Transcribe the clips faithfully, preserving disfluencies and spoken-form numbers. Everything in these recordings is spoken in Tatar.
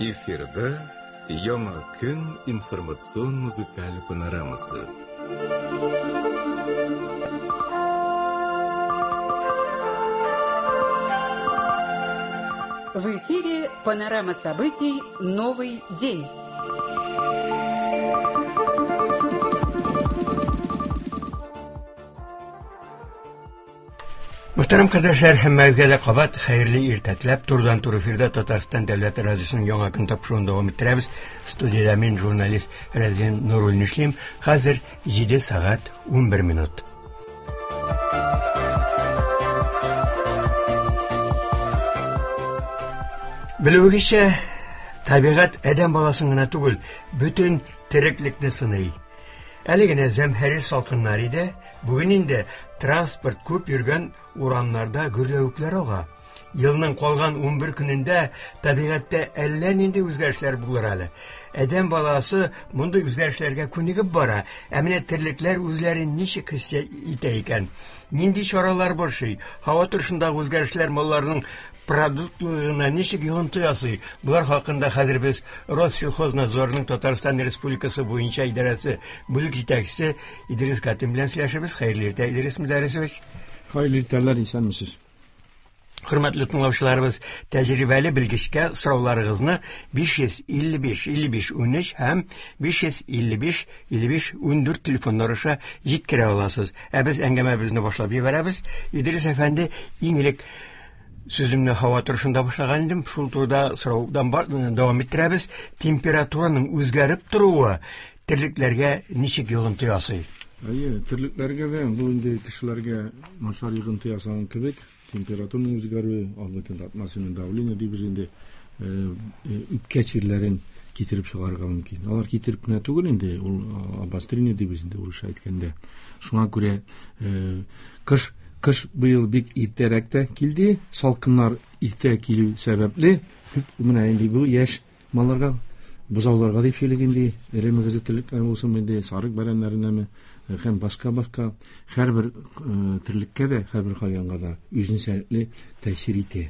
Эфирда Яңа көн информацион музыкаль панорамасы. В эфире панорама событий «Новый день». Мөхтәрәм кардәшләр, һәммәгезгә дә кабат хәерле иртә теләп, турыдан-туры эфирда Татарстан дәүләт радиосының Яңа көн тапшыруын дәвам иттерәбез. Студиядә мин, журналист Рәзин Нуруллин эшлим. Хәзер җиде сәгать унбер минут. Белүегезчә, табигать адәм баласын гына түгел, бөтен тереклекне сыный. Әле генә зәмһәрир салкыннар иде, бүген инде транспорт күп йөргән урамнарда гөрләвекләр ага. Елның калган унбер көнендә табигатьтә әллә нинди үзгәрешләр булыр әле. Адәм баласы мондый үзгәрешләргә күнегеп бара. Ә менә терлекләр үзләрен ничек хис итә икән? Нинди чаралар борчый? Һава торышындагы үзгәрешләр малларның продуктларына ничек йогынты ясый? Булар хакында хәзер без Россельхознадзорның Татарстан Республикасы буенча идарәсе бүлек җитәкчесе Идрис Гатин белән сөйләшәбез. Хәерле иртә, Идрис Мөдәррисович. Хәерле иртәләр, исәнмесез. Хөрмәтле тыңлаучыларыбыз, тәҗрибәле белгечкә сорауларыгызны биш йөз илле биш илле биш унөч һәм биш йөз илле биш илле биш ундүрт телефоннары аша җиткерә аласыз. Ә без әңгәмәбезне башлап җибәрәбез. Идрис әфәнде, иң элек сүземне һава торышында башлаган идем, шул турыда сораудан бар, дәвам иттерәбез. Температураның үзгәреп торуы терлекләргә ничек йогынты ясый? Әйе, терлекләргә дә, бу инде кешеләргә начар йогынты ясаган кебек, температураның үзгәрүе, албетте атмосфера давление дибез инде, үпкә чирләрен китереп чыгарырга мөмкин. Алар китереп кенә түгел инде, ул обострение дибез инде урысча әйткәндә. Шуңа күрә, кыш, кыш быел бик иртәрәк тә килде, салкыннар иртә килү сәбәпле, күп менә инде бу яшь малларга, бозауларга дип сөйлик инде, эре мөгезле терлекләр булсын инде, сарык бәрәннәренәме, һәм башка-башка һәрбер, э, терлеккә дә, һәрбер хайванга да үзенчәлекле тәэсир итә.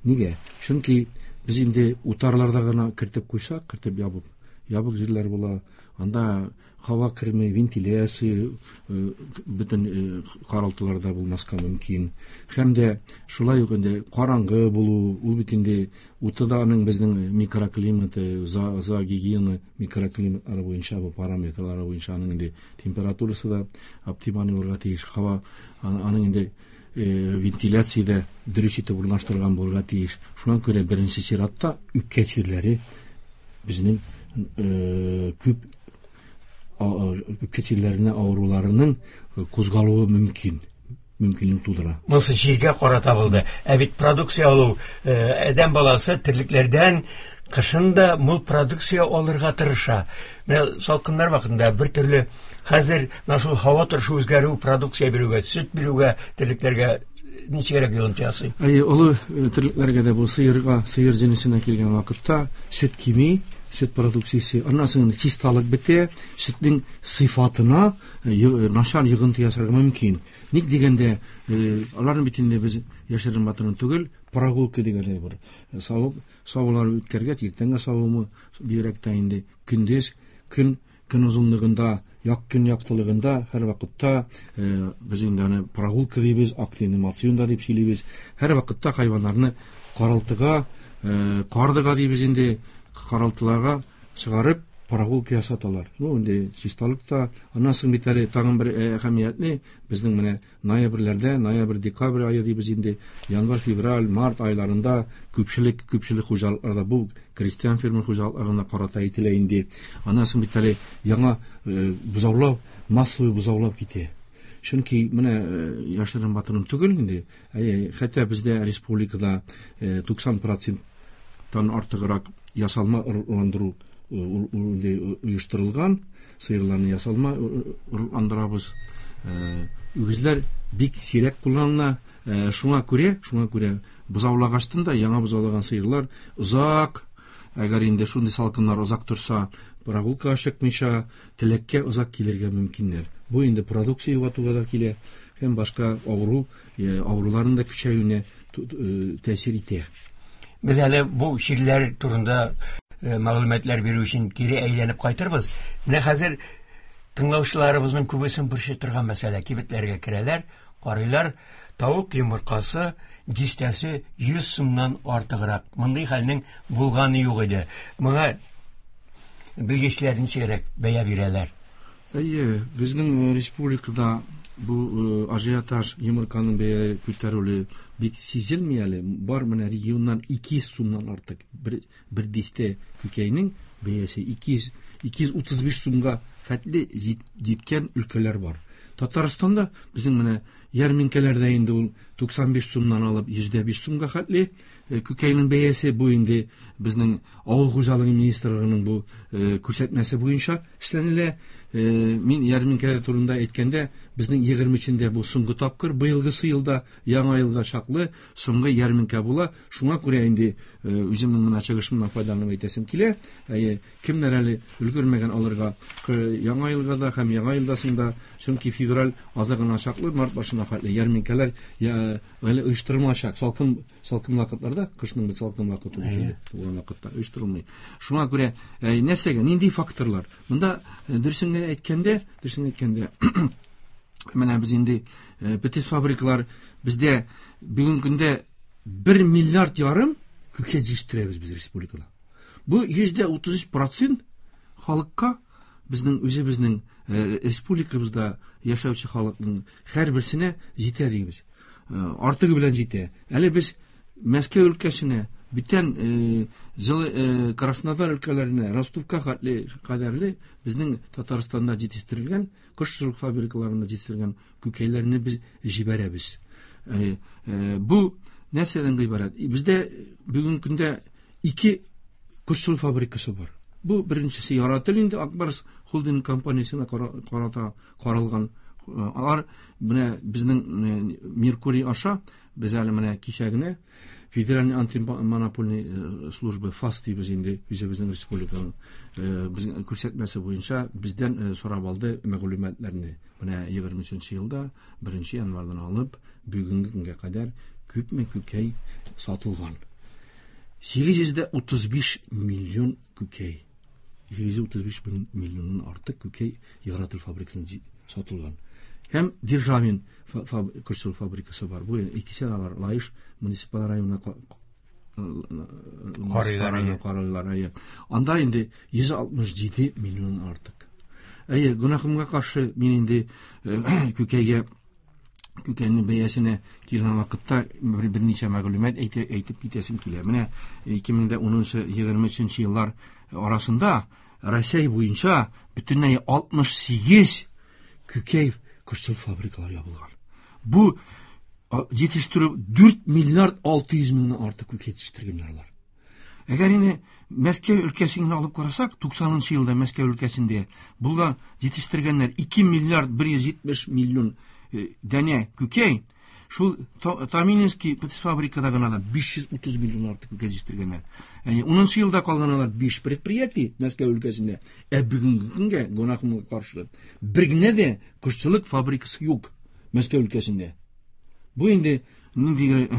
Нигә? Чөнки без инде утарларда гына кертеп куйсак, кертеп ябып, ябык җирләр була, анда һава керми, вентиляция, э, бөтен, э, каралтыларда булмаска мөмкин. Һәм дә шулай ук инде караңгы булу, ул бит инде уты да аның безнең микроклиматы, за, за гигиена микроклиматлары буенча, бу параметрлары буенча аның инде температурасы да оптималь булырга тиеш. Һава, аның инде, э, вентиляция дә дөрес итеп урнаштырган булырга тиеш. Шуңа күрә беренче чиратта үпкә чирләре безнең, э, күп үпкә чирләренә авыруларының кузгалуы мөмкин, мөмкинлек тудыра. Монысы җиргә карата булды. Ә бит продукция алу, э, адәм баласы терлекләрдән кышын да мул продукция алырга тырыша. Менә салкыннар вакытында бер төрле, хәзер менә шул һава торышы үзгәрү продукция бирүгә, сөт бирүгә терлекләргә ничегрәк йогынты ясый? Әйе, олы, э, терлекләргә дә бу сыерга, сыер җенесенә килгән вакытта сөт кими, сөт продукциясе, аннан соң чисталык бетә, сөтнең сыйфатына, э, ю-, э, начар йогынты ясарга мөмкин. Ник дигәндә, э, аларны бит инде без яшерен батырын түгел, прогулка дигән әйбер. Э, савып, савулар үткәргәч, иртәнге савымы бигрәк тә инде көндез, көн, көн озынлыгында, як көн яктылыгында һәр вакытта, э, без инде аны прогулка дибез, активный моцион да дип сөйлибез. Һәр вакытта хайваннарны каралтыга, э, кардыга дибез инде, каралтыларга чыгарып прогулка ясаталар. Ну, инде чисталык та, аннан соң бит әле тагын бер, э, әһәмиятле, безнең менә ноябрьләрдә, ноябрь, декабрь ае дибез инде, январь, февраль, март айларында күпчелек, күпчелек хуҗалыкларда, бу крестьян фермер хуҗалыкларына карата әйтелә инде. Аннан соң бит әле яңа, э, бозаулау, массовый бозаулау китә. Чөнки менә, э, яшерен батырын түгел инде, әйе, хәтта бездә республикада, э, туксан проценттан артыграк ясалма орлыкландыру, э, ул, ул инде оештырылган, сыерларны ясалма орлыкландырабыз. Э, үгезләр бик сирәк кулланыла. Э, шуңа күрә, шуңа күрә бозаулагачтан да яңа бозаулаган сыерлар озак, әгәр инде шундый салкыннар озак торса, прогулкага чыкмыйча теләккә озак килергә мөмкиннәр. Бу инде продукция югалтуга да килә, һәм башка авыру, э, авыруларның да көчәюенә ту-, э, тәэсир итә. Без әле бу чирләр турында мәгълүматлар бирү өчен кире әйләнеп кайтырбыз. Менә хәзер тыңлаучыларыбызның күбесен борчый торган мәсьәлә. Кибетләргә керәләр, карыйлар, тавык йомыркасы дистәсе йөз сумнан артыграк. Мондый хәлнең булганы юк иде. Моңа белгечләр ничегрәк бәя бирәләр? Әйе, безнең республикада бу ажиотаж йомырканың бәя күтәрелүе бик сизелми әле. Бар менә регионнан ике йөз сумнан артык бер, бер дистә күкәйнең бәясе ике йөз, ике йөз утыз биш сумга хәтле җиткән өлкәләр бар. Татарстанда безнең менә ярминкәләрдә инде ул туксан биш сумнан алып йөз дә биш сумга хәтле күкәйнең бәясе. Бу инде безнең авыл хуҗалыгы министрлыгының бу күрсәтмәсе буенча эшләнелә. Мин ярминкәләр турында әйткәндә, безнең егерме өчендә бу соңгы тапкыр, быелгысы елда яңа елга чаклы соңгы ярминкә була. Шуңа күрә инде үземнең менә чыгышымнан файдаланып әйтәсем килә. Кемнәр әле өлгермәгән алырга яңа елга да һәм яңа елда соң да, чөнки февраль азагына чаклы, март башына хәтле ярминкәләр әле оештырылмаячак. Салкын, салкын вакытларда, кышның бит салкын вакыты булган вакытта оештырылмый. Шуңа күрә нәрсәгә, нинди факторлар? Монда дөресен генә әйткәндә, дөресен әйткәндә, менә без инде птиц фабрикалар бездә бүгенге көндә бер миллиард ярым күкәй җитештерәбез без республикада. Бу йөз дә утыз өч процент халыкка, безнең үзебезнең республикабызда яшәүче халыкның һәрберсенә җитә дибез. Артыгы белән җитә. Әле без Мәскәү өлкәсенә, бүтән җылы Краснодар өлкәләренә, Ростовка кадәрле безнең Татарстанда җитештерелгән, кошчылык фабрикаларында җитештерелгән күкәйләрне без җибәрәбез. Бу нәрсәдән гыйбарәт? Бездә бүгенге көндә ике кошчылык фабрикасы бар. Бу беренчесе Яратыл инде Акбарс холдинг компаниясенә карата каралган. Алар менә безнең Меркурий аша без әле менә кичә генә Федеральный антимонопольный служба ФАС дибез инде үзебезнең республиканың безнең күрсәтмәсе буенча бездән сорап алды мәгълүматларны. Менә егерме өченче елда беренче январьдан алып бүгенге көнгә кадәр күпме күкәй сатылган? Сигез йөз дә утыз биш миллион күкәй. Сигез йөз утыз биш миллионнан артык күкәй Яратыл фабрикасында сатылган. Һәм Державин кошчылык фабрикасы бар. Бу икесе дә бар. Лаеш муниципаль районына карыйлар. Анда инде йөз алтмыш җиде миллионнан артык. Әйе, гөнаһымга каршы мин инде күкәйгә, күкәйнең бәясенә килгән вакытта берничә мәгълүмат әйтеп китәсем килә. Менә ике мең дә унынчы, егерме өченче еллар арасында Россия буенча бөтенләй алтмыш сигез күкәй кошчылык фабрикалары ябылган. Бу җитештерү дүрт миллиард алты йөз меңнән артык күкәй җитештергәннәр алар. Әгәр инде Мәскәү өлкәсен генә алып карасак, туксанынчы елда Мәскәү өлкәсендә булган җитештергәннәр ике миллиард бер йөз җитмеш миллион данә күкәй, шул Томилинский фабрикада гына да биш йөз утыз миллион артык күкәй җитештергәннәр. Ягъни унынчы елда калган алар биш предприятие Мәскәү өлкәсендә. Ә бүгенге көнгә гөнаһымга каршы бер генә дә кошчылык фабрикасы юк Мәскәү өлкәсендә. Бу инде нинди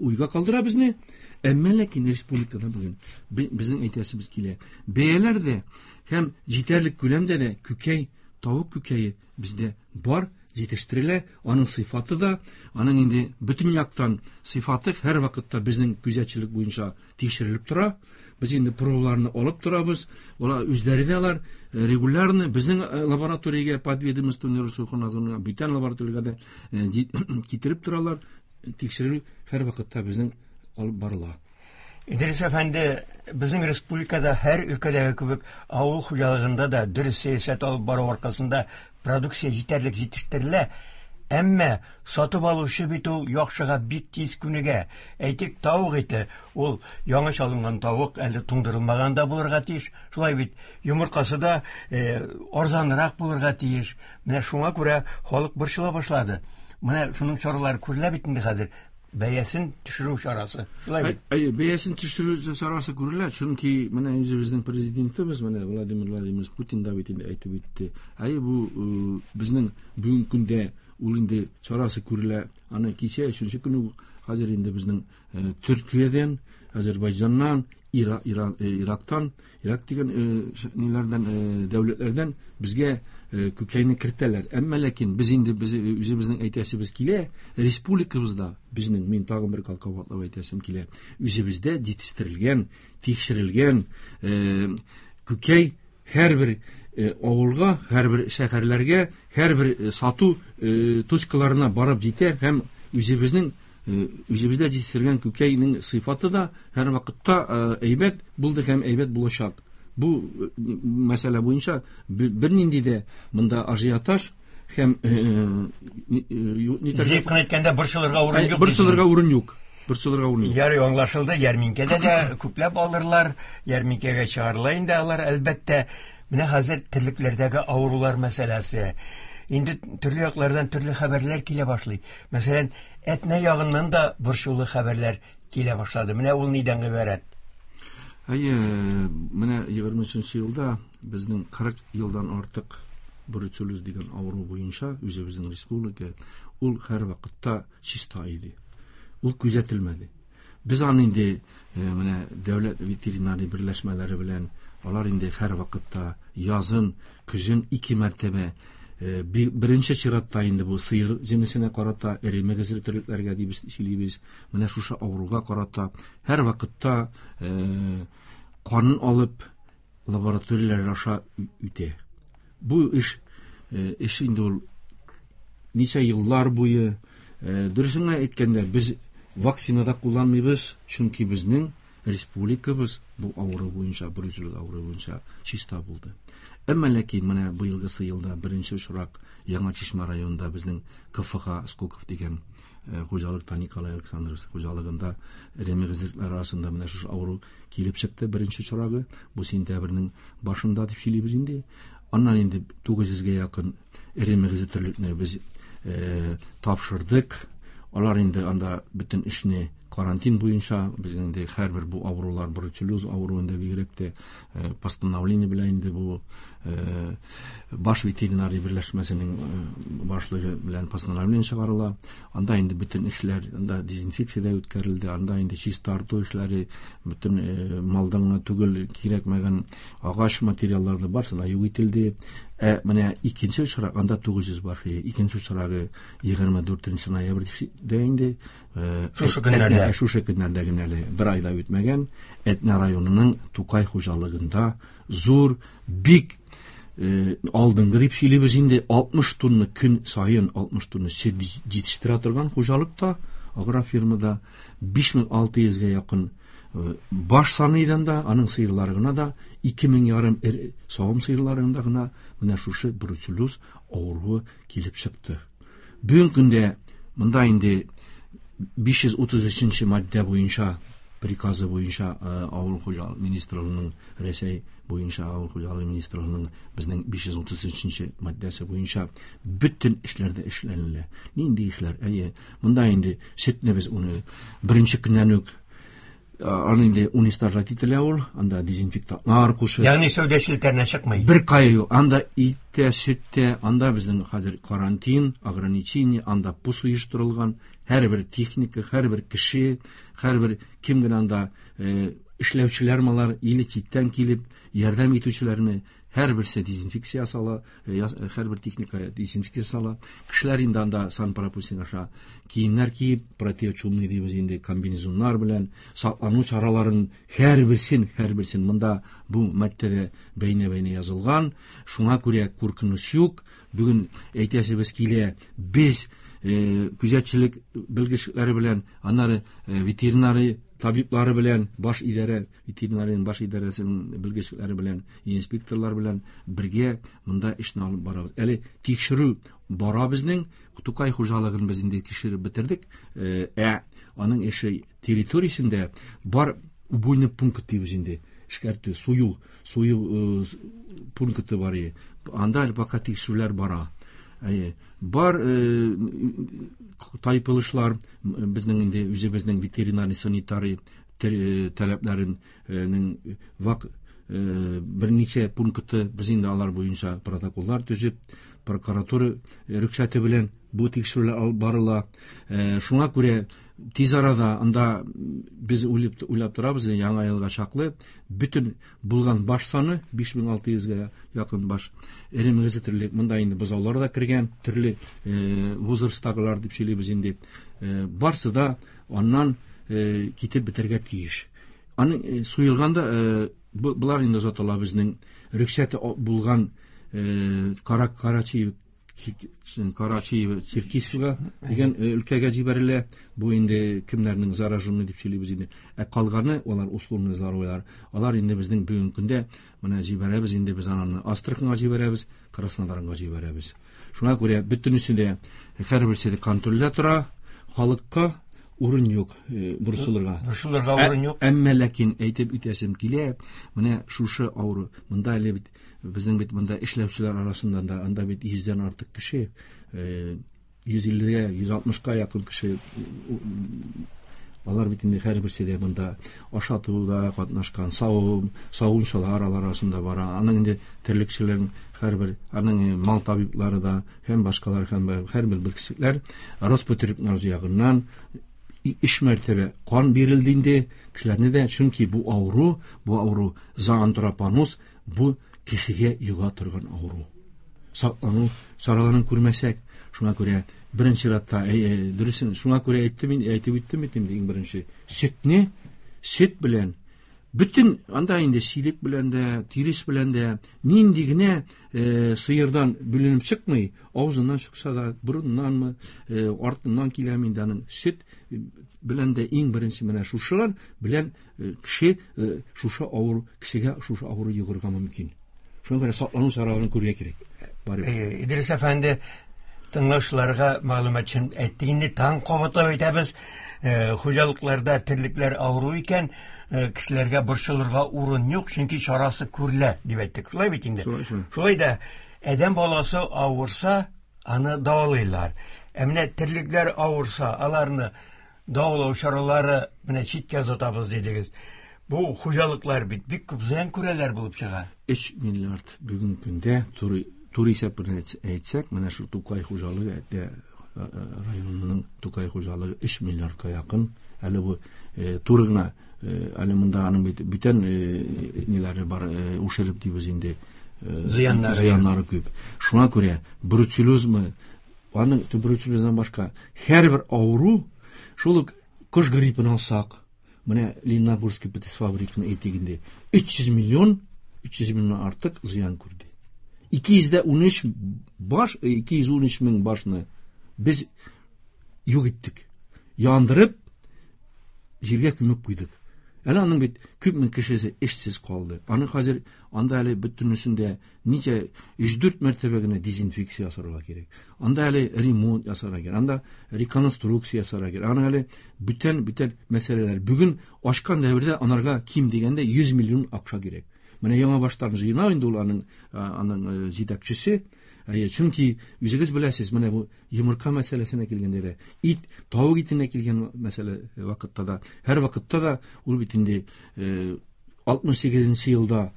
уйга калдыра безне. Әмма ләкин республикада бүген безнең әйтәсебез килә. Бәяләр дә һәм җитәрлек күләмдә дә күкәй, тавык күкәе бездә бар, җитештерелә. Аның сыйфаты да, аның инде бөтен яктан сыйфаты һәр вакытта безнең күзәтчелек буенча тикшерелеп тора. Без инде пробаларны алып торабыз. Алар үзләре дә алар регулярно безнең лабораториягә, подведомственный Россельхознадзорга, бүтән лабораториягә дә китереп торалар. Тикшерү һәр вакытта безнең алып барыла. Идрис әфәнде, безнең республикада һәр өлкәдәге кебек авыл хуҗалыгында да дөрес сәясәт алып бару аркасында продукция җитәрлек җитештерелә. Әмма сатып алучы бит ул яхшыга бик тиз күнегә. Әйтик, тавык ите, ул яңа чалынган тавык әле туңдырылмаган да булырга тиеш. Шулай бит, йомыркасы да арзанрак булырга тиеш. Менә шуңа күрә халык борчыла башлады. Менә шуның чаралары күрелә бит инде хәзер. Бәясен төшерү чарасы. Шулай бит? Әйе, бәясен төшерү чарасы күрелә, чөнки менә үзебезнең президентыбыз, менә Владимир Владимирович Путин да бит инде әйтеп үтте. Әйе, бу безнең бүгенге көндә ул инде чарасы күрелә. Аны кичә өченче көн Хәзер инде безнең Төркиядән, Азербайҗаннан, Ира, Иран, Ирактан, Ирак дигән ниләрдән, дәүләтләрдән безгә күкәйне кертәләр. Әмма ләкин без инде без үзебезнең әйтәсебез килә, республикабызда безнең, мин тагын бер кабатлап әйтәсем килә, үзебездә җитештерелгән, тикшерелгән күкәй һәрбер авылга, һәрбер шәһәрләргә, һәрбер сату точкаларына барып җитә һәм үзебезнең үзебездә җитештерелгән күкәйнең сыйфаты да һәр вакытта әйбәт булды һәм әйбәт булачак. Бу мәсьәлә буенча бернинди дә монда ажиотаж һәм җыеп кына әйткәндә борчылырга урын юк. Борчылырга урын юк. Борчылырга урын юк. Ярый, аңлашылды. Ярминкәдә дә күпләп алырлар, ярминкәгә чыгарыла инде алар, әлбәттә. Менә хәзер терлекләрдәге авырулар мәсьәләсе. Инде төрле яклардан төрле хәбәрләр килә башлый. Мәсәлән, Әтнә ягыннан да борчулы хәбәрләр килә башлады. Менә ул нидән гыйбарәт? Әйе, менә егерме өченче елда безнең кырык елдан артык бруцеллез дигән авыру буенча үзебезнең республика ул һәр вакытта чиста иде. Ул күзәтелмәде. Без аны инде менә дәүләт ветеринария берләшмәләре белән алар инде һәр вакытта язын, көзен ике мәртәбә беренче чиратта инде бу сыер җенесенә карата, эре мөгезле терлекләргә дип сөйлибез. Менә шушы авыруга карата һәр вакытта канын алып лабораторияләр аша үтә. Бу эш эш инде ул ничә еллар буе, дөресен генә әйткәндә, без вакцина да кулланмыйбыз, чөнки безнең республикабыз бу авыру буенча, бруцеллез авыруы буенча чиста булды. Әмма ләкин менә быелгысы елда беренче очрак Яңа Чишмә районында безнең К Ф Х Скоков дигән хуҗалыкта, Николай Александрович хуҗалыгында эре мөгезлекләр арасында менә шушы авыру килеп чыкты, беренче очрагы. Бу сентябрьнең башында дип сөйлибез инде. Аннан инде тугыз йөзгә якын эре мөгезле терлекне без тапшырдык. Алар инде анда бөтен эшне карантин буенча, безнең инде һәрбер бу авырулар, бруцеллез авыруында бигрәк тә постановление белән инде бу баш ветеринария берләшмәсенең башлыгы белән постановление чыгарыла. Анда инде бөтен эшләр, анда дезинфекция дә үткәрелде, анда инде чистарту эшләре, бөтен малдан гына түгел, кирәкмәгән агач материаллар да барысы да юк ителде. Ә менә икенче очрак, анда тугыз йөз баш, икенче очрагы егерме дүртенче ноябрьдә инде, шушы көннәрдә, шушы көннәрдә генә әле бер ай да үтмәгән, Әтнә районының Тукай хуҗалыгында зур, бик алдынгы дип сөйлибез инде, алтмыш тонна көн саен алтмыш тонна сөт җитештерә торган хуҗалыкта, агрофирмада биш мең алты йөзгә якын баш саныйдан да, аның сыерлары гына да, ике мең ярым савым сыерларында гына менә шушы бруцеллез авыруы килеп чыкты. Бүгенге көндә монда инде биш йөз утыз өченче маддә буенча, приказы буенча авыл хуҗалыгы министрлыгының, Рәсәй буенча авыл хуҗалыгы министрлыгының безнең биш йөз утыз өченче маддәсе буенча бөтен эшләр дә эшләнелә. Нинди эшләр? Әйе, монда инде сөтне без уны беренче көннән үк аны инде уничтожать ителә ул, анда дезинфектантлар кушып. Ягъни сәүдә челтәренә чыкмый. Бер кая юк. Анда ит тә, сөт тә, анда безнең хәзер карантин, ограничение, анда пус оештырылган, һәрбер техника, һәрбер кеше, һәрбер кем генә анда эшләүчеләр малар, или читтән килеп ярдәм итүчеләрне һәрберсе дезинфекция сала, һәрбер техника дезинфекция сала. Кешеләр инде анда санпропускник аша киемнәр киеп, противочумный дибез инде, комбинезоннар белән саклану чараларын һәрберсен, һәрберсен монда бу маддәдә бәйнә-бәйнә язылган. Шуңа күрә куркыныч юк. Бүген әйтәсебез килә, без күзәтчелек белгечләре белән, аннары ветеринария табиблары белән, баш идарә, ветеринариянең баш идарәсенең белгечләре белән, инспекторлар белән бергә монда эшне алып барабыз. Әле тикшерү бара безнең. Тукай хуҗалыгын без инде тикшереп бетердек. Ә аның эше территориясендә бар убойный пункт дибез инде. Эшкәртү, сую, сую пункты бар. Анда әле пока тикшерүләр бара. Әйе, бар тайпылышлар безнең инде үзебезнең ветеринарий санитарий таләпләренең вак берничә пункты без инде алар буенча протоколлар төзеп, прокуратура рөхсәте белән бу тикшерүләр алып барыла. Шуңа күрә Тиз арада анда без уйлап уйлап торабыз, яңа елга чаклы бөтен булган баш саны биш мең алты йөзгә якын баш эре мөгезле терлек. Монда инде бозаулар да кергән, төрле возрасттагылар дип сөйлибез инде. Барсы да аннан китеп бетәргә тиеш. Аның суелганда булар инде озатыла безнең рөхсәте булган Карак Карачи Карачи Черкесскага дигән өлкәгә җибәрелә. Бу инде кемнәрнең зараженный дип сөйлибез инде. Ә калганы алар условный здоровыйлар. Алар инде безнең бүгенге көндә менә җибәрәбез инде без аны Астраханга җибәрәбез, Краснодарга җибәрәбез. Шуңа күрә бөтенесе дә һәрберсе дә контрольдә тора, халыкка урын юк борчылырга. Борчылырга урын юк. Әмма ләкин әйтеп үтәсем килә, менә шушы авыру. Монда әле бит безнең бит монда эшләүчеләр арасында да анда бит йөздән артык кеше, йөз иллегә, йөз алтмышка якын кеше. Алар бит инде һәрберсе дә монда ашатуда катнашкан, савым, савымчылар алар арасында бар. Аның инде терлекчеләрнең һәрбер, аның мал табиблары да һәм башкалар һәм һәрбер белгечләр Роспотребнадзор ягыннан өч мәртәбә кан бирелде инде кешеләрне дә, чөнки бу авыру, бу авыру зоантропоноз, бу кешегә йога торган авыру. Саклану чараларын күрмәсәк, шуңа күрә беренче чиратта, дөресен, шуңа күрә әйттем инде, әйтеп үттем бит инде иң беренче. Сөтне, сөт белән бөтен анда инде силек белән дә, тирес белән дә нинди генә сыердан бүленеп чыкмый, авызыннан чыкса да, борыннанмы, артыннан киләме инде аның сөт белән дә иң беренче менә шушылар белән кеше шушы авыру, кешегә шушы авыру йогырга мөмкин. Шуңа күрә саклану чараларын күрергә кирәк. Барыбер. Идрис әфәнде, тыңлаучыларга мәгълүмат өчен әйттек инде, таң кабатлап әйтәбез, хуҗалыкларда терлекләр авыру икән, кешеләргә борчылырга урын юк, чөнки чарасы күрелә дип әйттек. Шулай бит инде. Шулай да адәм баласы авырса, аны дәвалыйлар. Ә менә терлекләр авырса, аларны дәвалау чаралары менә читкә озатабыз дидегез. Бу хуҗалыклар бит бик күп зыян күрәләр булып чыга. Өч миллиард бүгенге көндә туры туры исәп белән әйтсәк, менә шу Тукай хуҗалыгы әйтә районының Тукай хуҗалыгы өч миллиардка якын. Әле бу туры гына, әле монда аның бит бүтән ниләре бар, ушереп дибез инде, зыяннары, зыяннары күп. Шуңа күрә бруцеллезмы, аның бруцеллездан башка һәрбер авыру, шул ук кош гриппын алсак, менә Лениногорский птицефабриканың әйтик инде, өч йөз миллион, өч йөз миллионнан артык зыян күрде. Ике йөз дә унөч баш, ике йөз унөч мең башны без юк иттек. Яндырып, җиргә күмеп куйдык. Әле аның бит күп мең кешесе эшсез калды. Аны хәзер анда әле бөтенесендә ничә өч-дүрт мәртәбә генә дезинфекция ясарга кирәк. Анда әле ремонт ясарга кирәк, анда реконструкция ясарга кирәк. Аның әле бүтән бүтән мәсьәләләр. Бүген ашкан дәвердә анарга ким дигәндә йөз миллион акча кирәк. Менә яңа баштан җыена инде ул аның, аның җитәкчесе. Әйе, чөнки үзегез беләсез, менә бу йомырка мәсьәләсенә килгәндә дә, ит, тавык итенә килгән мәсьәлә вакытта да, һәр вакытта да ул бит инде алтмыш сигезенче елда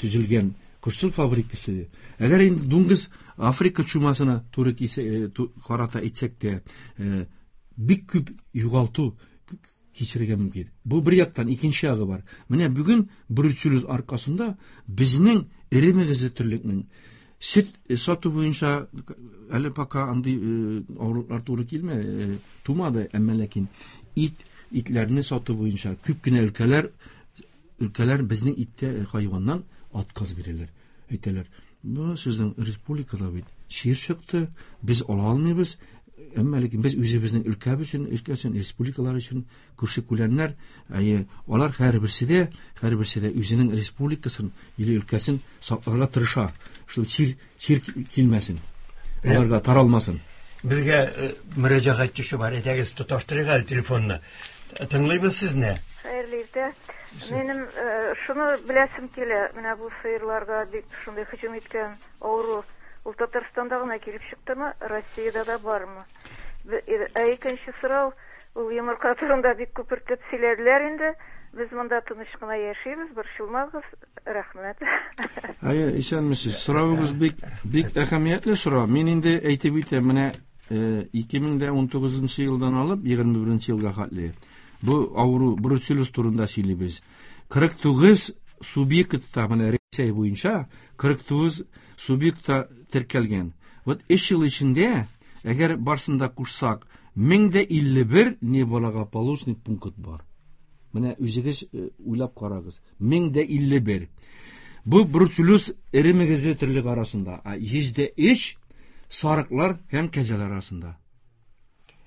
төзелгән кошчылык фабрикасы. Әгәр инде дуңгыз Африка чумасына туры килсә, карата әйтсәк тә, бик күп югалту кичерергә мөмкин. Бу бер яктан, икенче ягы бар. Менә бүген бруцеллез аркасында безнең эре мөгезле терлекнең сөт сату буенча әле пока андый авырулар туры килмә, тумады, әмма ләкин ит, итләрне сату буенча күп кенә өлкәләр, өлкәләр безнең иттә хайваннан отказ бирәләр. Әйтәләр, бу сезнең республикада бит чир чыкты, без ала алмыйбыз, әмма ләкин без үзебезнең өлкә өчен, өлкә өчен, республикалар өчен күрше күләннәр, әйе, алар һәрберсе дә, һәрберсе дә үзенең республикасын или өлкәсен сакларга тырыша. Шул чир, чир килмәсен, аларга таралмасын. Безгә мөрәҗәгать төшү бар, әйдәгез тоташтырыйк әле телефонны. Тыңлыйбыз сезне. Хәерле иртә. Минем шуны беләсем килә, менә бу сыерларга бик шундый һөҗүм иткән авыру ул Татарстанда гына килеп чыктымы, Россиядә дә бармы? Ә икенче сорау, ул йомырка турында бик күпертеп сөйләделәр инде. Без монда тыныч кына яшибез, борчылмагыз, рәхмәт. Әйе, исәнмесез. Соравыгыз бик, бик әһәмиятле сорау. Мин инде әйтеп үтәм, менә ике мең дә унтугызынчы елдан алып егерме беренче елга хәтле бу авыру бруцеллез турында сөйлибез. Кырык тугыз субъектта, менә Рәсәй буенча кырык тугыз субъектта теркәлгән. Вот өч ел эчендә, әгәр барсын да кушсак, мең дә илле бер неблагополучный пункт бар. Менә үзегез уйлап карагыз. Мең дә илле бер. Бу бруцеллез эре мөгезле терлек арасында, а йөз дә өч сарыклар һәм кәҗәләр арасында.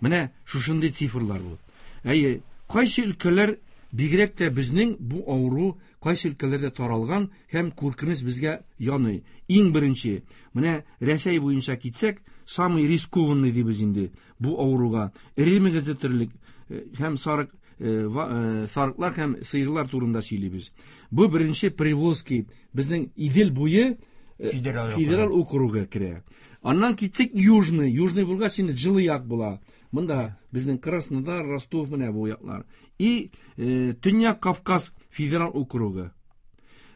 Менә шушындый цифрлар бу. Әйе, кайсы өлкәләр бигрәк тә безнең бу авыру кайсы өлкәләрдә таралган һәм куркыныч безгә яный. Иң беренче, менә Рәсәй буенча китсәк, самый рискованный дибез инде бу авыруга. Эре мөгезле терлек һәм сарык, сарыклар һәм сыерлар турында сөйлибез. Бу беренче Приволжский, безнең Идел буе федераль округы керә. Аннан киттек Южный, Южный булгач инде җылы як була. Монда безнең Краснодар, Ростов менә бу яклар. И Төньяк Кавказ федераль округы.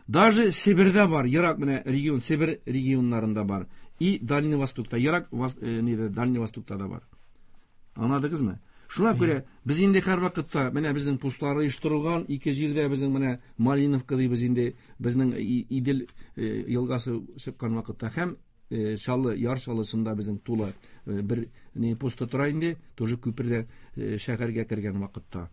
Даже Себердә бар, ерак менә регион, Себер регионнарында бар. И Дальний Востокта, ерак нидә, Дальний Востокта да бар. Аңладыгызмы? Шуңа күрә без инде һәр вакытта менә безнең постлар оештырылган ике җирдә, безнең менә Малиновка дибез инде, безнең Идел елгасы чыккан вакытта һәм Чаллы, Яр Чаллысында безнең тулы бер не посты тора инде, тоже күпердә шәһәргә кергән вакытта.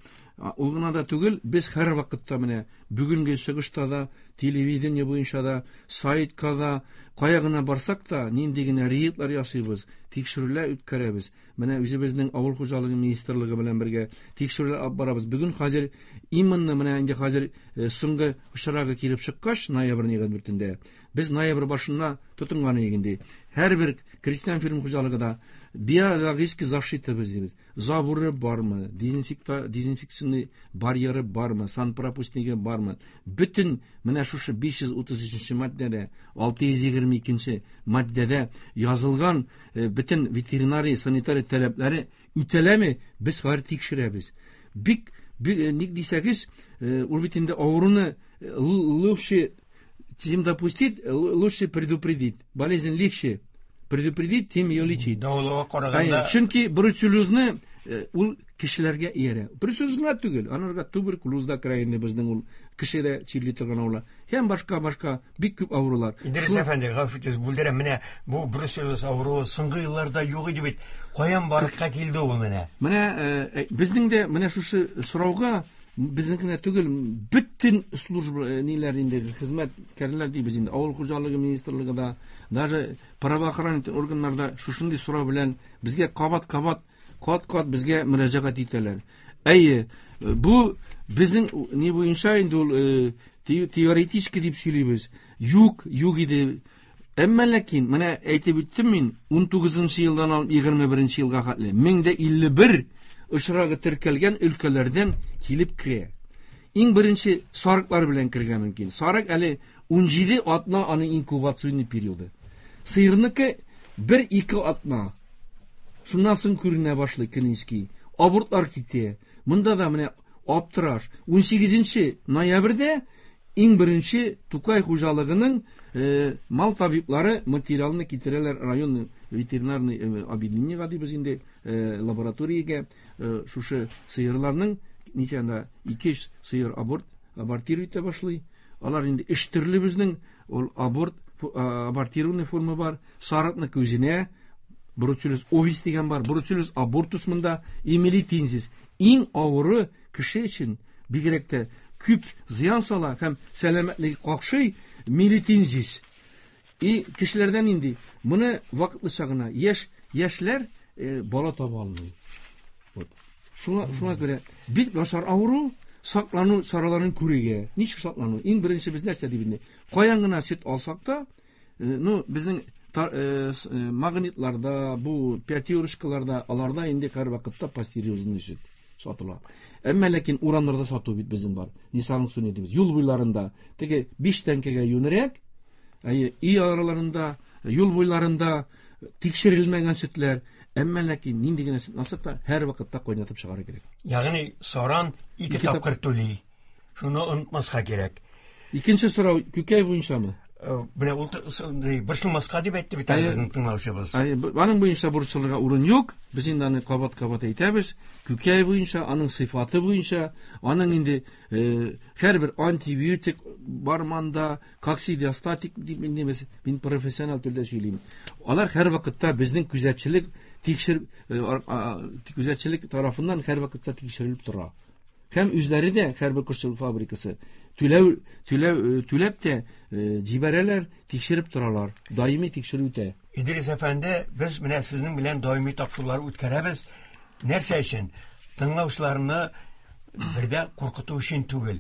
Ул гына да түгел, без һәр вакытта менә бүгенге чыгышта да, телевидение буенча да, сайтка да, кая гына барсак та, нинди генә рейдлар ясыйбыз, тикшерүләр үткәрәбез. Менә үзебезнең авыл хуҗалыгы министрлыгы белән бергә тикшерүләр алып барабыз. Бүген хәзер именно менә инде хәзер соңгы очрагы килеп чыккач, ноябрьнең егерме дүртендә, без ноябрь башына тотынган идек инде. Һәрбер крестьян фермер хуҗалыгы да биологический защита без дибез. Заборы бармы, дезинфекта, дезинфекционный барьеры бармы, санпропускнигы бармы? Бөтен менә шушы биш йөз утыз өченче маддәдә, алты йөз егерме икенче маддәдә язылган бөтен ветеринария, санитария таләпләре үтәләме? Без хәзер тикшерәбез. Бик, ник дисәгез, ул бит инде авыруны лучше чем допустить, лучше предупредить. Болезнь легче предупредить, тем ее лечить. Дәвалауга караганда. Чөнки бруцеллезны ул кешеләргә иярә. Бруцеллез гына түгел, анарга туберкулез да керә инде безнең ул кешедә чирли торган авырулар. Һәм башка-башка бик күп авырулар. Идрис әфәнде, гафу итегез, бүлдерәм, менә бу бруцеллез авыруы соңгы елларда юк иде бит. Каян барлыкка килде ул менә? Менә безнең дә менә шушы сорауга безнең генә түгел, бөтен служба ниләр инде, хезмәткәрләр дибез инде, авыл хуҗалыгы министрлыгы да, даже правоохранительный органнарда шушындый сорау белән безгә кабат-кабат, кат-кат безгә мөрәҗәгать итәләр. Әйе, бу безнең ни буенча инде ул теоретически дип сөйлибез. Юк, юк иде. Әмма ләкин менә әйтеп үттем мин, унтугызынчы елдан алып егерме беренче елга хәтле мең дә илле бер очрагы теркәлгән өлкәләрдән килеп керә. Иң беренче сарыклар белән кергән мөмкин. Сарык әле унҗиде атна аның инкубационный периоды. Сыерныкы бер-ике атна. Шуннан соң күренә башлый клинический. Абортлар китә. Монда да менә аптыраш. Унсигезенче ноябрьдә иң беренче Тукай хуҗалыгының мал табиблары материалны китерәләр район ветеринарный объединениегә дибез инде, лабораториягә, шушы сыерларның ничә анда ике сыер аборт абортировать итә башлый. Алар инде өч төрле безнең ул аборт абортированный форма бар. Сарыкны күзенә бруцеллез овис дигән бар, бруцеллез абортус монда, эмилитинзис. Иң авыры кеше өчен бигрәк тә күп зыян сала һәм сәламәтлеге какшый мелитинзис. И кешеләрдән инде моны вакытлыча гына яшь яшьләр бала таба алмый. Вот. Шуңа, шуңа күрә бик начар авыру, саклану чараларын күрергә. Ничек саклану? Иң беренче без нәрсә дип инде? Каян гына сөт алсак та, ну, безнең магнитларда, бу пятерочкаларда, аларда инде һәр вакытта пастеризованный сөт сатыла. Әмма ләкин урамнарда сату бит безнең бар. Нисаның дибез. Юл буйларында теге биш тәңкәгә юнрәк, әйе, өй араларында, юл буйларында тикшерелмәгән сөтләр. Әмма ләкин нинди генә сөт алсак та һәр вакытта кайнатып чыгару кирәк. Ягъни саран ике тапкыр түли. Шуны онытмаска кирәк. Икенче сорау күкәй буенчамы? Менә ул борчылмаска дип әйтте бит безнең тыңлаучыбыз. Аның буенча борчылырга урын юк. Без инде аны кабат-кабат әйтәбез. Күкәй буенча, аның сыйфаты буенча, аның инде һәрбер антибиотик бар монда, коксидиостатик дип инде без мин профессионал телдә сөйлим. Алар һәр вакытта безнең күзәтчелек тикшер күзәтчелек тарафыннан һәр вакытта тикшерелеп тора. Һәм үзләре дә һәрбер кошчылык фабрикасы түләү түләү түләп тә җибәрәләр, тикшереп торалар. Даими тикшерү үтә. Идрис әфәнде, без менә сезнең белән даими тапшырулар үткәрәбез. Нәрсә өчен? Тыңлаучыларны бердә куркыту өчен түгел.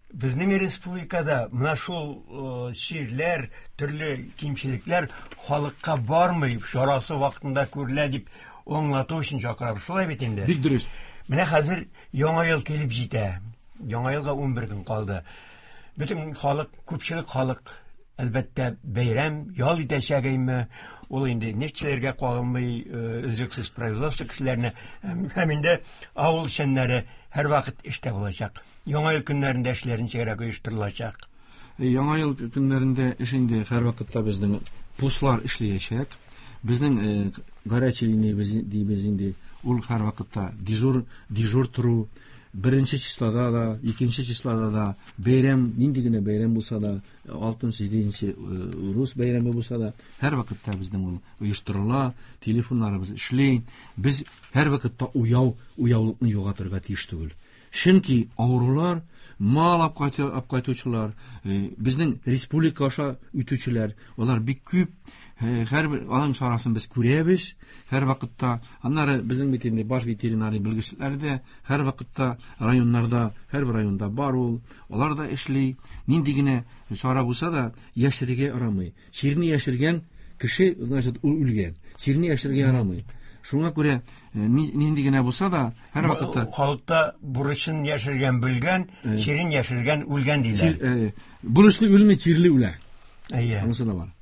Безнең республикада менә шул чирләр, төрле кимчелекләр халыкка бармый, чарасы вакытында күрелә дип аңлату өчен чакырабыз. Шулай бит инде. Бик дөрес. Менә хәзер Яңа ел килеп җитә. Яңа елга ун бер көн калды. Бөтен халык, күпчелек халык әлбәттә бәйрәм, ял итәчәгеме? Ул инде нефтчеләргә кагылмый, өзлексез производство кешеләренә һәм инде авыл эшчәннәре һәрвакыт эштә булачак. Яңа ел көннәрендә эшләр ничегрәк оештырылачак? Яңа ел көннәрендә эш инде һәрвакытта безнең пуслар эшләячәк. Безнең горячий линия дибез инде, ул һәрвакытта дежур, дежур тору, беренче числода да, икенче числода да, бәйрәм, нинди генә бәйрәм булса да, алтынчы, җиденче рус бәйрәме булса да, һәрвакытта безнең ул оештырыла, телефоннарыбыз эшли. Без һәрвакытта уяу, уяулыкны югалтырга тиеш түгел. Чөнки авырулар, мал алып кайтучылар, безнең республика аша үтүчеләр, алар бик күп. Һәрбер аның чарасын без күрәбез һәр вакытта. Аннары безнең бит инде баш ветеринарий белгечләре дә һәр вакытта районнарда, һәрбер районда бар ул, алар да эшли. Нинди генә чара булса да яшерергә ярамый. Чирне яшергән кеше, значит, ул үлгән. Чирне яшерергә ярамый. Шуңа күрә нинди генә булса да һәр вакытта халыкта бурычын яшергән белгән, чирен яшергән үлгән диләр. Бурычлы үлми, чирле үлә. Әйе. Анысы да бар.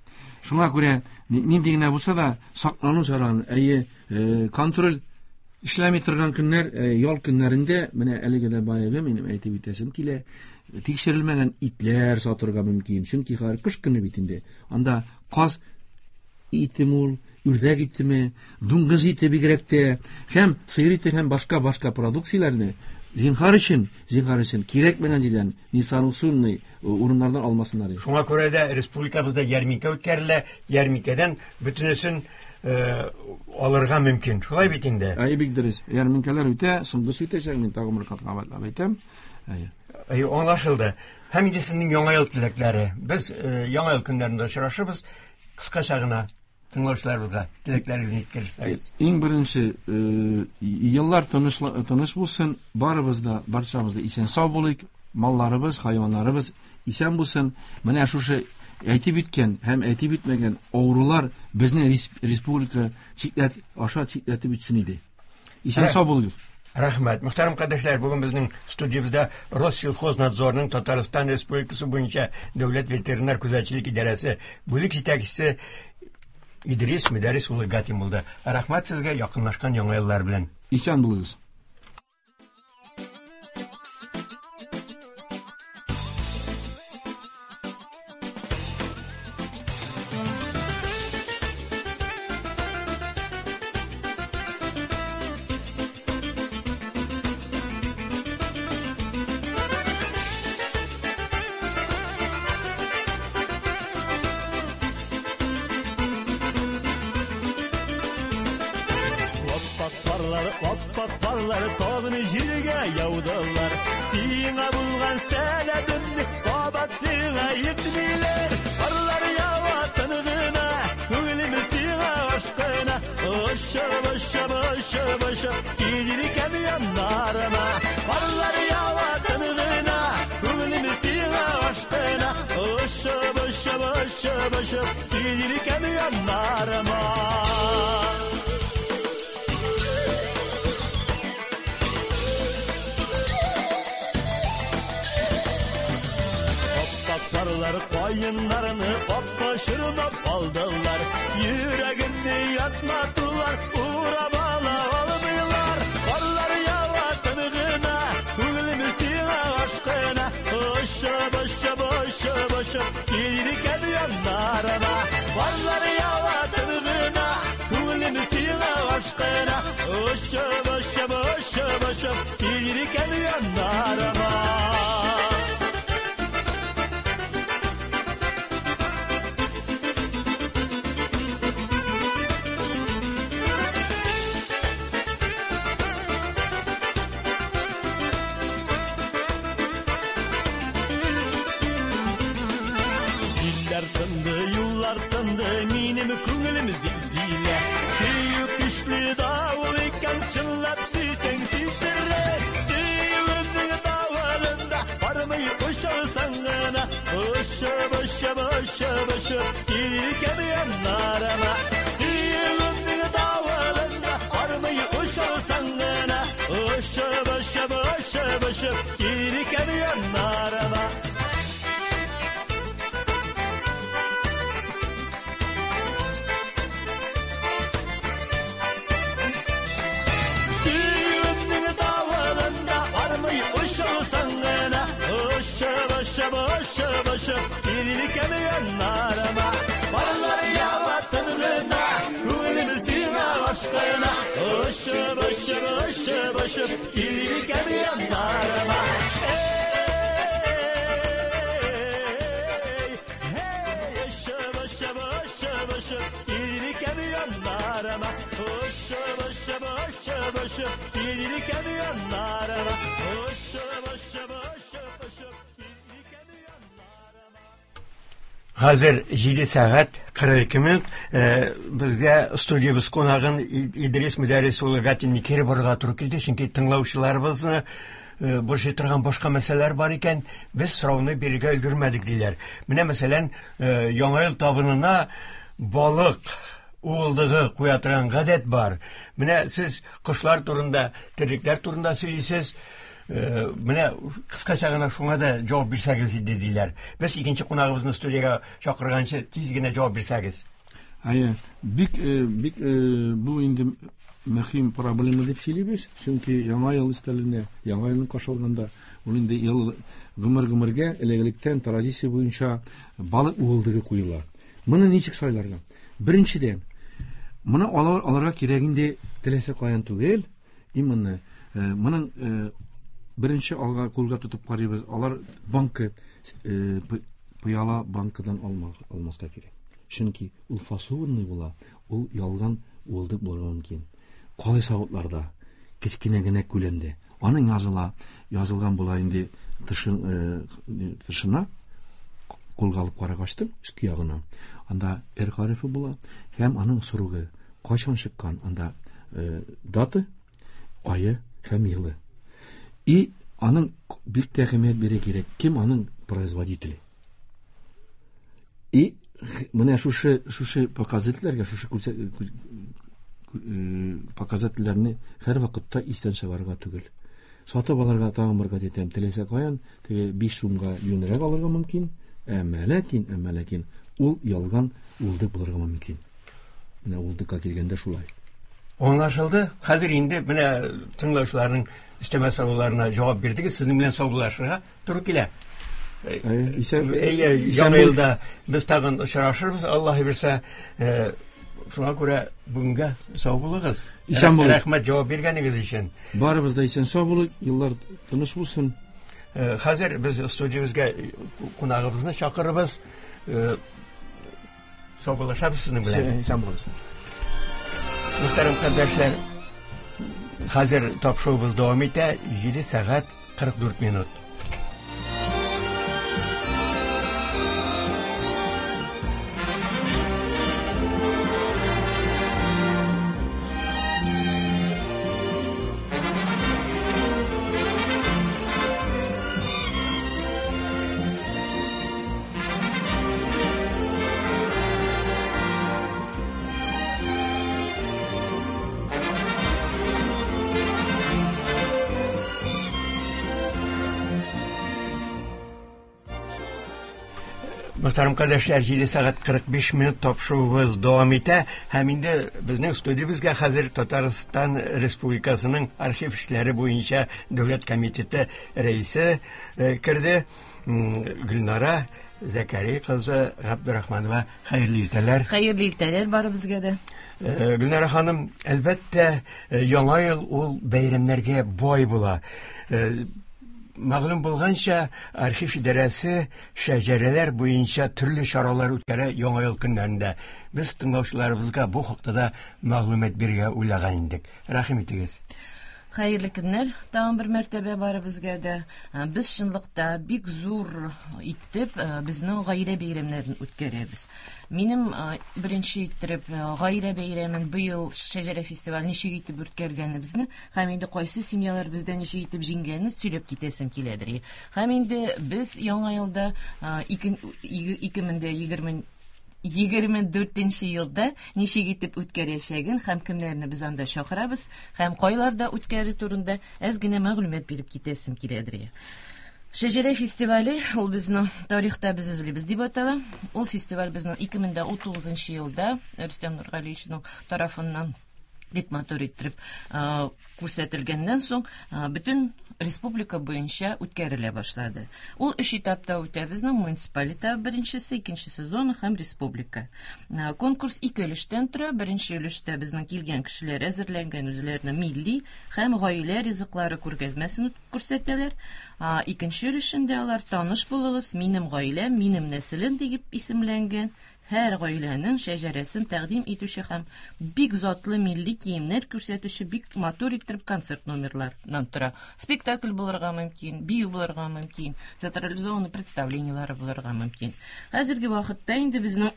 Шуңа күрә нинди генә булса да саклану чараларын, әйе, контроль эшләми торган көннәр, ял көннәрендә, менә әлеге дә баягы минем әйтеп үтәсем килә, тикшерелмәгән итләр сатырга мөмкин. Чөнки хәзер кыш көне бит инде. Анда каз итеме ул, үрдәк итеме, дуңгыз ите бигрәк тә, һәм сыер ите һәм башка-башка продукцияләрне зинһар өчен, зинһар өчен кирәкмәгән җирдән, несанкционный урыннардан алмасыннар. Шуңа күрә дә республикабызда ярминкә үткәрелә, ярминкәдән бөтенесен алырга мөмкин. Шулай бит инде. Әй, бик дөрес. Ярминкәләр үтә, соңгысы үтәчәк, мин тагын бер кат кабатлап әйтәм. Әйе. Әйе, аңлашылды. Һәм инде сезнең Яңа ел теләкләре. Без Яңа ел көннәрендә очрашырбыз. Кыскача гына тыңлаучыларыбызга теләкләрегезне җиткерсәгез. Иң беренче, еллар тыныч, тыныч булсын, барыбыз да, барчабыз да исән сау булыйк, малларыбыз, хайваннарыбыз исән булсын. Менә шушы әйтеп үткән һәм әйтеп үтмәгән авырулар безне республика чикләт, аша чикләтеп үтсен иде. Исән сау булыгыз. Рәхмәт. Мөхтәрәм кардәшләр, бүген безнең студиябездә Россельхознадзорның Татарстан Республикасы буенча Дәүләт ветеринар күзәтчелек идарәсе бүлек җитәкчесе Идрис Мөдәррис улы Гатин булды. Рәхмәт сезгә, якынлашкан яңа еллар белән. Исән булыгыз. Kayınlarını aptaşırmap aldılar. Yüreğini yatmadılar, uğramala olmuyorlar. Karlar yava tınığına, gülümü sina aşkına. Işıp ışıp ışıp ışıp, gelirken yanlarıma. Ялкынды минем күңелем зилзилә. Сөю көчле давыл икән, чынлап сөйсәң сөйдерә. Сөюемнең давылында бармый очалсаң гына. Очып, очып, очып, очып килгән яннарыма. Сөюемнең давылында бармый очалсаң гына. Очып, очып, очып, очып килгән яннарыма. Очып, очып, очып, килгән яннарыма. Парlar ява тынгына, күңелем сиңа ашкына. Очып, очып, очып, очып, килгән яннарыма. Эй, эй, очып, очып, очып, очып, килгән яннарыма. Очып, очып, очып, очып, килгән яннарыма. Очып, очып, очып, очып. Хәзер җиде сәгать кырык ике минут. Безгә студиябез кунагын Идрис Мөдәррис улы Гатинны кире борырга туры килде, чөнки тыңлаучыларыбызны борчый торган башка мәсьәләләр бар икән, без сорауны бирергә өлгермәдек диләр. Менә мәсәлән, Яңа ел табынына балык уылдыгы куя торган гадәт бар. Менә сез кошлар турында, терлекләр турында сөйлисез. Менә кыскача гына шуңа да җавап бирсәгез иде диләр. Без икенче кунагыбызны студиягә чакырганчы тиз генә җавап бирсәгез. Әйе, бик бик бу инде мөһим проблема дип сөйлибез, чөнки Яңа ел өстәлендә, Яңа елны каршылаганда ул инде ел гомер-гомергә элек-электән традиция буенча балык уылдыгы куела. Моны ничек сайларга? Беренчедән, моны алырга кирәк инде теләсә каян түгел, именно моның беренче алга кулга тотып карыйбыз, алар банкы пыяла банкадан алмаска кирәк. Чөнки ул фасованный була, ул ялган уылдык булырга мөмкин. Калай савытларда, кечкенә генә күләмдә. Аның языла, язылган була инде тышына, кулга алып карагачтым, өске ягына. Анда Р хәрефе була һәм аның срогы кайчан чыккан, анда дата, ае һәм елы. И аның бик тә әһәмият бирә кирәк, кем аның производителе. И менә шушы шушы показательләргә, шушы показательләрне һәр вакытта истән чыгарырга түгел. Сатып алырга тагын бер кат әйтәм, теләсә каян, теге биш сумга юньрәк алырга мөмкин, әмма ләкин, әмма ләкин ул ялган уылдык булырга мөмкин. Менә уылдыкка килгәндә шулай. Аңлашылды. Хәзер инде менә тыңлаучыларның өстәмә сорауларына җавап бирдегез. Сезнең белән саубуллашырга туры килә. Әйе, яңа елда без тагын очрашырбыз, Аллаһ бирсә. Шуңа күрә бүгенгә сау булыгыз. Исән булыгыз. Рәхмәт җавап биргәнегез өчен. Барыбыз да исән сау булыйк, еллар тыныч булсын. Хәзер без студиябезгә кунагыбызны чакырыбыз. Саубуллашабыз сезнең белән. Исән булыгыз. Мөхтәрәм кардәшләр, хәзер тапшыруыбыз дәвам итә. Җиде сәгать кырык дүрт минут. Мөхтәрәм кардәшләр, җиде сәгать кырык биш минут тапшыруыбыз дәвам итә һәм инде безнең студиябезгә хәзер Татарстан Республикасының архив эшләре буенча дәүләт комитеты рәисе керде. Гөлнара Зәкәри кызы Габдрахманова, хәерле иртәләр. Хәерле иртәләр барыбызга да. Гөлнара ханым, әлбәттә, Яңа ел ул бәйрәмнәргә бай була. Мәгълүм булганча, архив идарәсе шәҗәрәләр буенча төрле чаралар үткәрә Яңа ел көннәрендә. Без тыңлаучыларыбызга бу хакта да мәгълүмат бирергә уйлаган идек. Рәхим итегез. Хәерле көннәр тагын бер мәртәбә барыбызга да. Без чынлыкта бик зур итеп безнең гаилә бәйрәмнәрен үткәрәбез. Минем беренче иттереп гаилә бәйрәмен быел Шәҗәрә фестивале ничек итеп үткәргәнебезне һәм инде кайсы семьялар бездә ничек итеп җиңгәнен сөйләп китәсем киләдер. Һәм инде без яңа елда ике мең дә егерме егерме дүртенче елда ничек итеп үткәрәчәген һәм кемнәрне без анда чакырабыз һәм кайларда үткәрү турында әз генә мәгълүмат биреп китәсем киләдер. Шәҗәрә фестивале ул безнең тарихта без эзлибез дип атала. Ул фестиваль безнең ике мең дә утызынчы елда Рөстәм Нургалиевичның тарафыннан бик матур иттереп күрсәтелгәннән соң бөтен республика буенча үткәрелә башлады. Ул өч этапта үтә безнең: муниципаль этап беренчесе, икенчесе зона һәм республика. Конкурс ике өлештән тора. Беренче өлештә безнең килгән кешеләр әзерләнгән үзләренең милли һәм гаилә ризыклары күргәзмәсен күрсәтәләр. Икенче өлешендә алар таныш булыгыз, минем гаиләм, минем нәселем дип исемләнгән һәр гаиләнең шәҗәрәсен тәкъдим итүче һәм бик затлы милли киемнәр күрсәтүче бик матур иттереп концерт номерларыннан тора. Спектакль булырга мөмкин, бию булырга мөмкин, театрализованный представлениеләре булырга мөмкин. Хәзерге вакытта инде безнең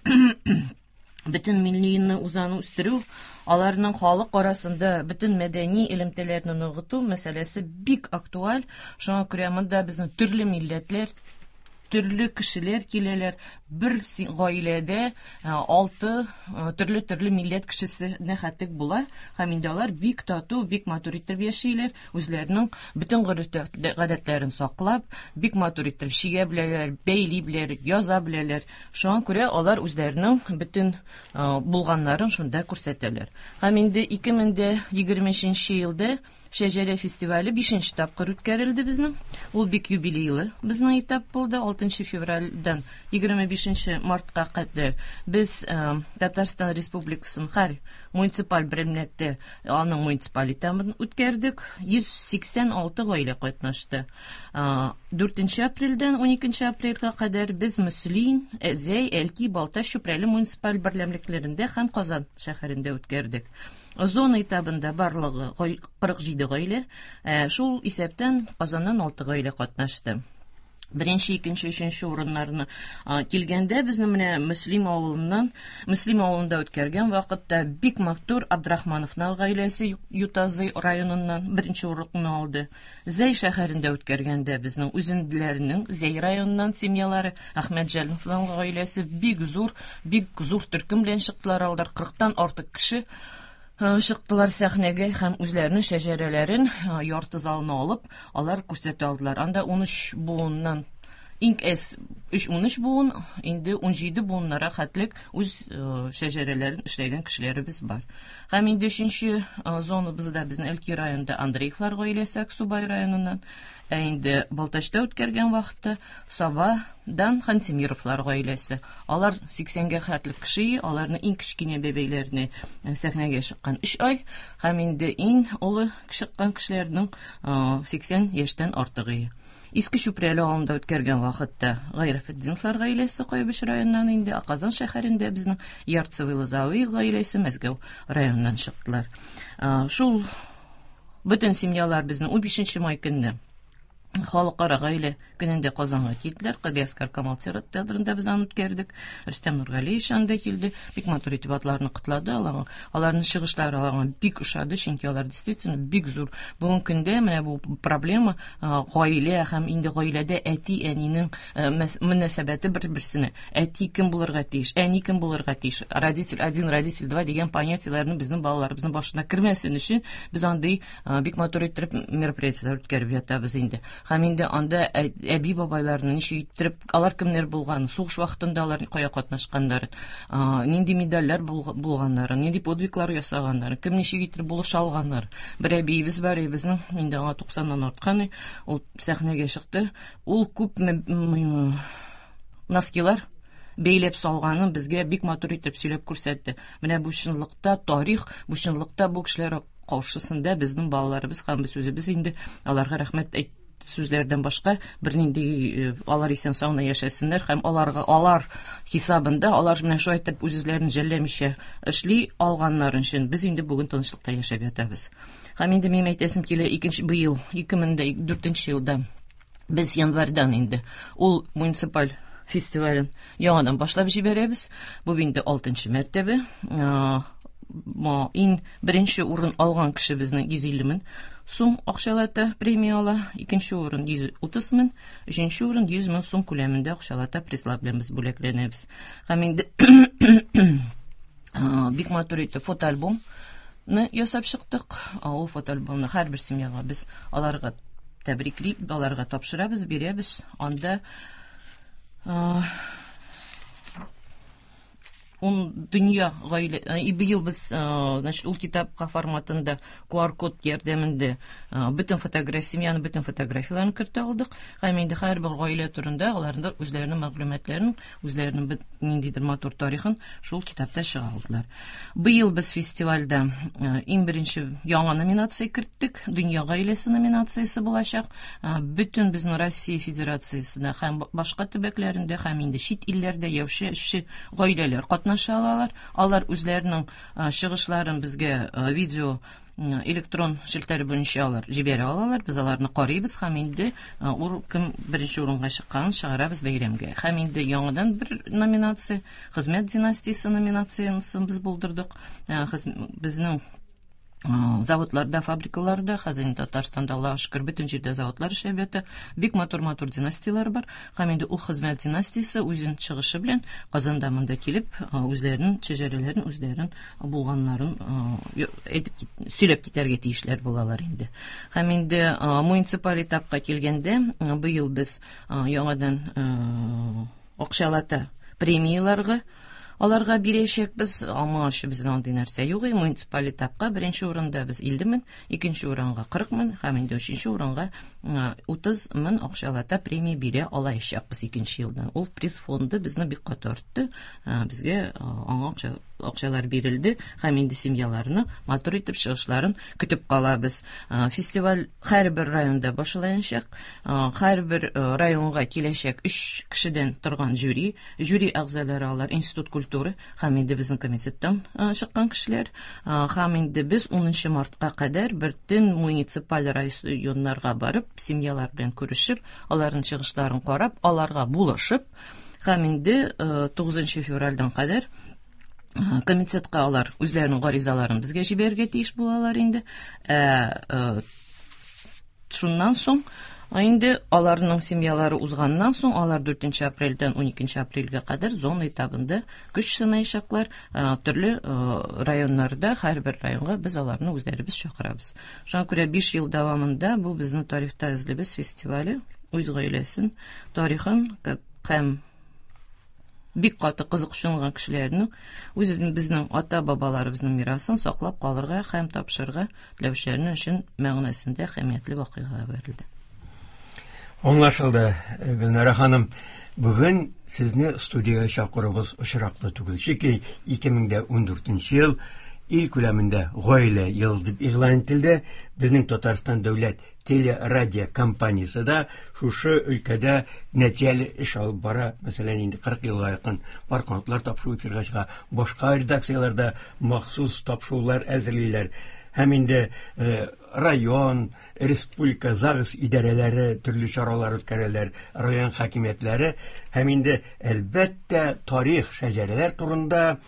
бөтен миллине узаны үстерү, аларның халык арасында бөтен мәдәни элемтәләрне ныгыту мәсьәләсе бик актуаль. Шуңа күрә монда безнең төрле милләтләр, төрле кешеләр киләләр. Бер гаиләдә алты төрле-төрле милләт кешесе нәхәтлек була һәм инде алар бик тату, бик матур итеп яшиләр, үзләренең бөтен гореф-гадәтләрен саклап, бик матур итеп чигә беләләр, бәйли беләләр, яза беләләр. Шуңа күрә алар үзләренең бөтен булганнарын шунда күрсәтәләр. Һәм инде ике мең дә егерме өченче елда Шәҗәрә фестивале бишенче тапкыр үткәрелде безнең. Ул бик юбилейлы безнең этап булды. Алтынчы февральдән егерме бишенче мартка кадәр без Татарстан Республикасының һәр муниципаль берәмлектә аның муниципаль этабын үткәрдек. Йөз сиксән алты гаилә катнашты. Дүртенче апрельдән уникенче апрельгә кадәр без Мөслим, Зәй, Әлки, Балтач, Чүпрәле муниципаль берәмлекләрендә һәм Казан шәһәрендә үткәрдек. Зона этабында барлыгы кырык җиде гаилә, шул исәптән Казаннан алты гаилә катнашты. Беренче, икенче, өченче урыннарны килгәндә безнең менә Мөслим авылыннан, Мөслим авылында үткәргән вакытта бик матур Абдрахмановлар гаиләсе Ютазы районыннан беренче урынны алды. Зәй шәһәрендә үткәргәндә безнең үзенделәрнең Зәй районыннан семьялары Әхмәтҗановлар гаиләсе бик зур, бик зур төркем белән чыктылар алар, кырыктан артык кеше чыктылар сәхнәгә һәм үзләренең шәҗәрәләрен ярты залны алып, алар күрсәтә алдылар. Анда ун өч буыннан иң әз өч ун өч буын, инде ун җиде буыннара хәтлек үз шәҗәрәләрен эшләгән кешеләребез бар. Һәм инде өченче зонабызда безнең Әлки районында Андреевлар гаиләсе Аксубай районыннан, ә инде Балтачта үткәргән вакытта Сабадан Хантимировлар гаиләсе. Алар сиксәнгә хәтлек кеше, аларның иң кечкенә бәбәйләренә сәхнәгә чыккан өч ай, һәм инде иң олы чыккан кешеләрнең сиксән яшьтән артыгы. Иске Чүпрәле авылында үткәргән вакытта Гайрафетдиновлар гаиләсе Кайбыч районыннан, инде Казан шәһәрендә безнең Ярцевый Лозовый гаиләсе Мәскәү районыннан чыктылар. Шул бөтен семьялар безнең унбишенче май көнне Халыкара гаилә көнендә Казанга килделәр. Галиәсгар Камал театрында без аны үткәрдек. Рөстәм Нургалиевич анда килде. Бик матур итеп атларны котлады. Аларның, аларның чыгышлары аларга бик ошады, чөнки алар действительно бик зур. Бүгенге көндә менә бу проблема гаилә һәм инде гаиләдә әти-әнинең мөнәсәбәте бер-берсенә. Әти кем булырга тиеш, әни кем булырга тиеш, родитель один, родитель два дигән понятиеләрне безнең балаларыбызның башына кермәсен өчен без андый бик матур итеп мероприятиеләр үткәреп ятабыз инде. Һәм инде анда әби бабайларны ничек иттереп, алар кемнәр булган, сугыш вакытында алар кая катнашканнарын, нинди медальләр булганнарын, нинди подвиглар ясаганнарын, кем ничек иттереп булыша алганнар. Бер әбиебез бар, безнең инде аңа туксаннан арткан, ул сәхнәгә чыкты. Ул күп носкилар бәйләп салганын безгә бик матур итеп сөйләп күрсәтте. Менә бу чынлыкта тарих, бу чынлыкта бу кешеләр каршысында безнең балаларыбыз һәм без үзебез инде аларга рәхмәт әйт Сүзләрдән башка бернинди, алар исән сау гына яшәсеннәр һәм аларга, алар хисабында, алар менә шулай итеп үз-үзләрен жәлләмичә эшли алганнары өчен без инде бүген тынычлыкта яшәп ятабыз. Һәм инде минем әйтәсем килә, икенче быел, ике мең дә дүртенче елда без январьдан инде ул муниципаль фестивален яңадан башлап җибәрәбез. Бу инде алтынчы мәртәбә. Иң беренче урын алган кеше безнең йөз илле мең сум акчалата премия ала, икенче урын йөз утыз мең, өченче урын йөз мең сум күләмендә акчалата призлар белән без бүләкләнәбез. Һәм инде бик матур итеп фотоальбомны ясап чыктык. Ул фотоальбомны һәрбер семьяга без аларга тәбриклик, аларга тапшырабыз, бирәбез. Анда ун дөнья гаилә, и быел без, значит, ул китапка форматында ку ар код ярдәмендә бөтен фотография, семьяның бөтен фотографияләрен кертә алдык. Һәм инде һәрбер гаилә турында аларның үзләренең мәгълүматларын, үзләренең ниндидер матур тарихын шул китапта чыга алдылар. Быел без фестивальдә иң беренче яңа номинация керттек. Дөнья гаиләсе номинациясе булачак. Бөтен безнең Россия Федерациясендә һәм башка төбәкләрендә һәм инде чит илләрдә яшәүче гаиләләр катнаша алалар. Алар үзләренең чыгышларын безгә видео электрон челтәре буенча алар җибәрә алалар. Без аларны карыйбыз һәм инде кем беренче урынга чыкканын чыгарабыз бәйрәмгә. Һәм инде яңадан бер номинация, хезмәт династиясе номинациясен без булдырдык. Безнең заводларда, фабрикаларда, хәзер инде Татарстанда, Аллаһка шөкер, бөтен җирдә заводлар эшләп ята. Бик матур-матур династияләр бар. Һәм инде ул хезмәт династиясе үзен чыгышы белән Казанда монда килеп, үзләренең шәҗәрәләрен, үзләренең булганнарын әйтеп, сөйләп китәргә тиешләр булалар инде. Һәм инде муниципаль этапка килгәндә, быел без яңадан акчалата премияләргә аларга бирәчәкбез. Аңа өчен безнең андый нәрсә юк. Муниципаль этапка беренче урында без илле мең, икенче урынга кырык мең һәм инде өченче урынга утыз мең акчалата премия бирә алачакбыз икенче елдан. Ул приз фонды безне бик каты артты. Безгә аңа акча, акчалар бирелде һәм инде семьяларны матур итеп чыгышларын көтеп калабыз. Фестиваль һәрбер районда башланачак. Һәрбер районга киләчәк өч кешедән торган жюри, жюри әгъзалары алар Институт культуры һәм инде безнең комитеттан чыккан кешеләр. Һәм инде без унынчы мартка кадәр бөтен муниципаль районнарга барып, семьялар белән күрешеп, аларның чыгышларын карап, аларга булышып, һәм инде тугызынчы февральдән кадәр комитетка алар үзләренең гаризаларын безгә җибәрергә тиеш булалар инде. Ә шуннан соң инде аларның семьялары узганнан соң, алар дүртенче апрельдән уникенче апрельгә кадәр зона этабында көч сынаячаклар. Төрле районнарда, һәрбер районга без аларны үзләребез чакырабыз. Шуңа күрә биш ел дәвамында бу безнең тарихта эзлибез фестивале үз гаиләсен, тарихын һәм бик каты кызыксынган кешеләрнең үз безнең ата-бабаларыбызның мирасын саклап калырга һәм тапшырырга теләүчеләрнең өчен мәгънәсендә әһәмиятле вакыйга бирелде. Аңлашылды, Гөлнара ханым. Бүген сезне студиягә чакыруыбыз очраклы түгел. Чөнки ике мең дә ундүртенче ел ил күләмендә гаилә елы дип игълан ителде. Безнең Татарстан дәүләт телерадио компаниясе дә шушы өлкәдә нәтиҗәле эш алып бара. Мәсәлән, инде кырык елга якын пар канатлар тапшыру эфирга чыга. Башка редакцияләрдә махсус тапшырулар әзерлиләр. Һәм инде район, республика ЗАГС идарәләре төрле чаралар үткәрәләр, район хакимиятләре һәм инде әлбәттә тарих, шәҗәрәләр турында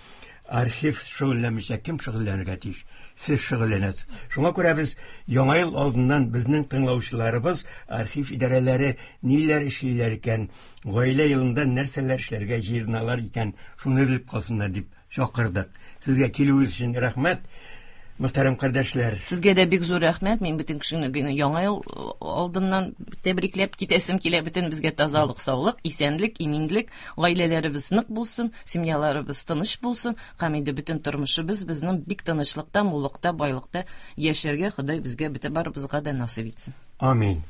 архив шөгыльләнмичә кем шөгыльләнергә тиеш? Сез шөгыльләнәсез. Шуңа күрә без яңа ел алдыннан безнең тыңлаучыларыбыз архив идарәләре ниләр эшлиләр икән, гаилә елында нәрсәләр эшләргә җыеналар икән, шуны белеп калсыннар дип чакырдык. Сезгә килүегез өчен рәхмәт. Мөхтәрәм кардәшләр, сезгә дә бик зур рәхмәт. Мин бөтен кешене яңа ел алдыннан тәбрикләп китәсем килә. Бөтен безгә тазалык, саулык, исәнлек, иминлек, гаиләләребез нык булсын, семьяларыбыз тыныч булсын һәм инде бөтен тормышыбыз безнең бик тынычлыкта, муллыкта, байлыкта яшәргә Ходай безгә бөтен барыбызга да насыйп итсен. Амин.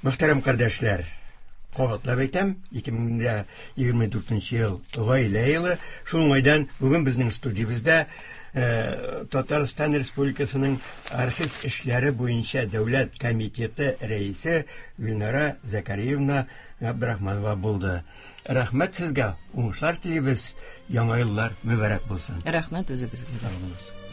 Мөхтәрәм кардәшләр, кабатлап әйтәм, ике мең егерме дүртенче ел гаилә елы. Шул уңайдан бүген безнең студиябездә Татарстан Республикасының архив эшләре буенча дәүләт комитеты рәисе Гөлнара Закариевна Габдрахманова булды. Рәхмәт сезгә, уңышлар телибез, яңа еллар мөбарәк булсын. Рәхмәт үзегезгә. Сау булыгыз.